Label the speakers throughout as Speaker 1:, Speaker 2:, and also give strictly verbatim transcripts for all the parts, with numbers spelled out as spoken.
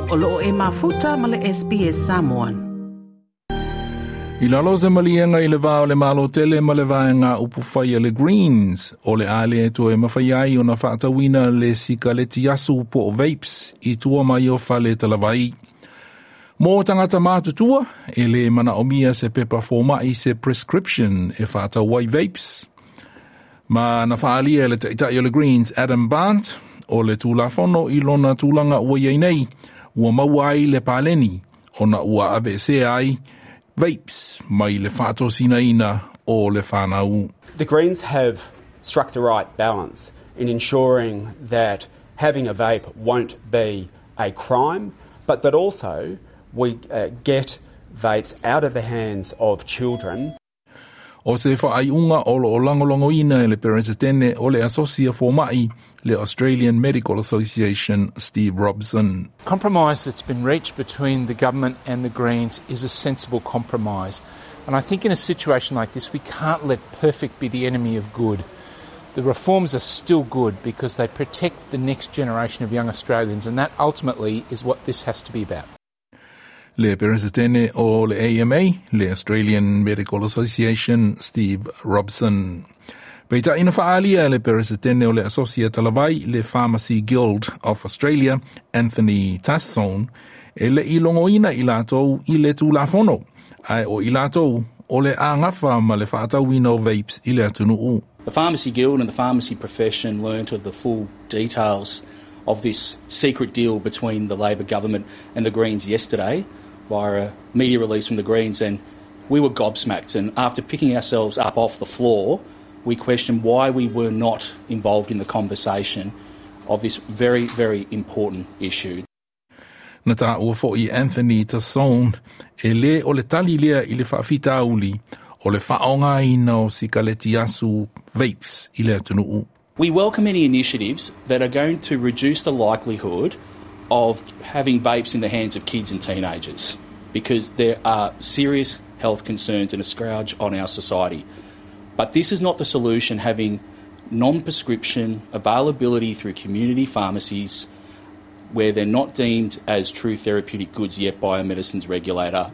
Speaker 1: O loo e mafuta ma le S B S Samoan.
Speaker 2: I lalo se maliega i le va o le Malo tele ma le vaega upufai a le Greens, o le a le toe mafai ai ona faatauina le sikaleti asu po o vapes i tua mai o fale talavai. Mo tagata matutua, e le manaomia se pepa fomai, se prescription, e faatau ai vapes. Ma na faalia le taitai o le Greens, Adam Bandt, o le tulafono i lona tulaga ua iai nei, ua maua ai le paleni, ona ua aveesea ai vapes mai le faatosinaina o le fanau.
Speaker 3: The Greens have struck the right balance in ensuring that having a vape won't be a crime, but that also we uh, get vapes out of the hands of children.
Speaker 2: O se faaiuga o lo o lagolagoina e le Peresetene o le Asosi a Fomai, le Australian Medical Association, Steve Robson.
Speaker 4: Compromise that's been reached between the government and the Greens is a sensible compromise. And I think in a situation like this, we can't let perfect be the enemy of good. The reforms are still good because they protect the next generation of young Australians, and that ultimately is what this has to be about.
Speaker 2: Le Peresetene o le A M A, le Australian Medical Association, Steve Robson. Peitai na faalia le Peresetene o le Asosi a Talavai, le Pharmacy Guild of Australia, Anthony Tassone, e le i logoina i latou i le tulafono, ae o i latou o le a gafa ma le faatauina o vapes i le atunuu.
Speaker 5: The Pharmacy Guild and the pharmacy profession learnt of the full details of this secret deal between the Labor government and the Greens yesterday via a media release from the Greens, and we were gobsmacked. And after picking ourselves up off the floor, we questioned why we were not involved in the conversation of this very, very important issue.
Speaker 2: Na taua fo'i Anthony Tassone e le o le tali lea i le faafitauli o le faaaogaina o sikaleti asu, vapes, i le atunuu.
Speaker 5: We welcome any initiatives that are going to reduce the likelihood of having vapes in the hands of kids and teenagers, because there are serious health concerns and a scourge on our society. But this is not the solution, having non prescription availability through community pharmacies where they're not deemed as true therapeutic goods yet by a medicines regulator.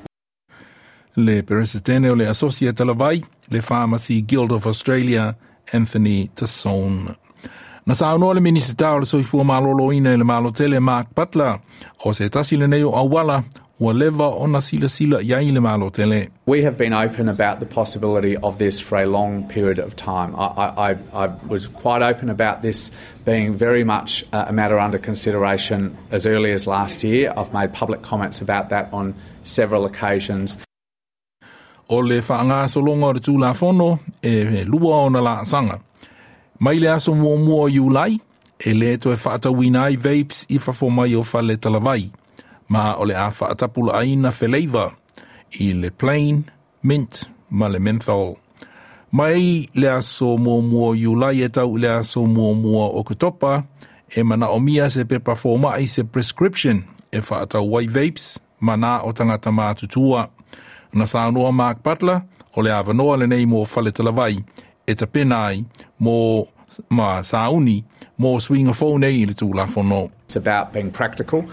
Speaker 2: Le Peresetene o le Asosi a Talavai, le Pharmacy Guild of Australia, Anthony Tassone. Na saunoa le Minisita o le Soifua Maloloina i le Malo Tele, Mark Butler, o se tasi lenei o auala ua leva ona silasila i ai le Malo Tele.
Speaker 6: We have been open about the possibility of this for a long period of time. I, I, I was quite open about this being very much a matter under consideration as early as last year. I've made public comments about that on several occasions.
Speaker 2: O le faagasologa o le Tulafono e lua ona laasaga. Mai le aso muamua o Iulai, e le toe faatauina ai vapes i fafo mai o fale talavai, ma o le a faatapulaaina feleiva i le plain, mint ma le menthol. Mai le aso muamua o Iulai e tau i le aso muamua o Oketopa, e manaomia se pepa fomai, se prescription, e faatau ai vapes, ma na o tagata matutua. Na saunoa Mark Butler, o le avanoa lenei mo fale talavai, e tapena ai mo ma sauni mo suiga fou nei i le Tulafono.
Speaker 6: It's about being practical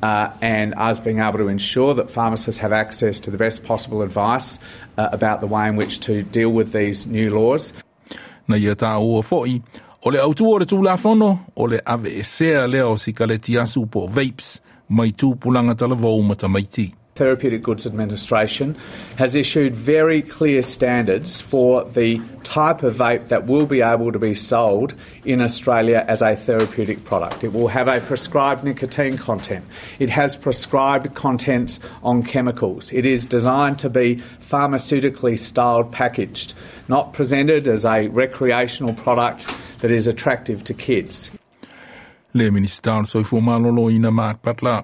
Speaker 6: uh, and us being able to ensure that pharmacists have access to the best possible advice uh, about the way in which to deal with these new laws.
Speaker 2: Na ia taua fo'i, o le autu o le Tulafono, o le aveesea lea o sikaleti asu po vapes mai tupulaga talavou ma tamaiti.
Speaker 6: Therapeutic Goods Administration has issued very clear standards for the type of vape that will be able to be sold in Australia as a therapeutic product. It will have a prescribed nicotine content. It has prescribed contents on chemicals. It is designed to be pharmaceutically styled packaged, not presented as a recreational product that is attractive to kids.
Speaker 2: Le Minisita o le Soifua Maloloina, Mark Butler.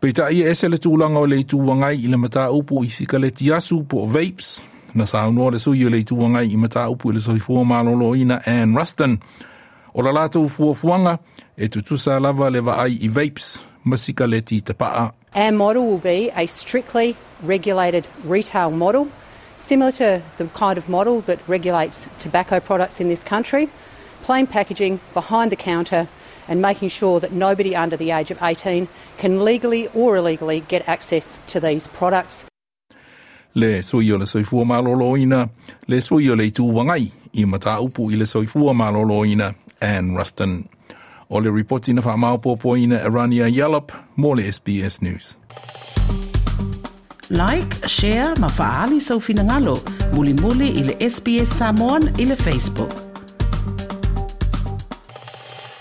Speaker 2: Peitai e ese le tulaga o le Itu Agai i le mataupu i sikaleti asu po vapes. Na saunoa le sui o le Itu Agai i mataupu i le soifua maloloina, Anne Ruston, o la latou fuafuaga e tutusa lava le vaai i vapes ma sikaleti tapaa.
Speaker 7: Our model will be a strictly regulated retail model, similar to the kind of model that regulates tobacco products in this country. Plain packaging behind the counter. and making sure that nobody under the age of eighteen can legally or illegally get access to these products.
Speaker 2: Le sui o le soifua malōlōina, le sui o le Itu Agai i mataupu i le soifua malōlōina, Anne Ruston. O le ripoti na whaamaopoopoina e Rania Yallop mo le S B S News.
Speaker 1: Like, share ma fa'aali sou finagalo. Mulimuli i le S B S Samoan i le Facebook.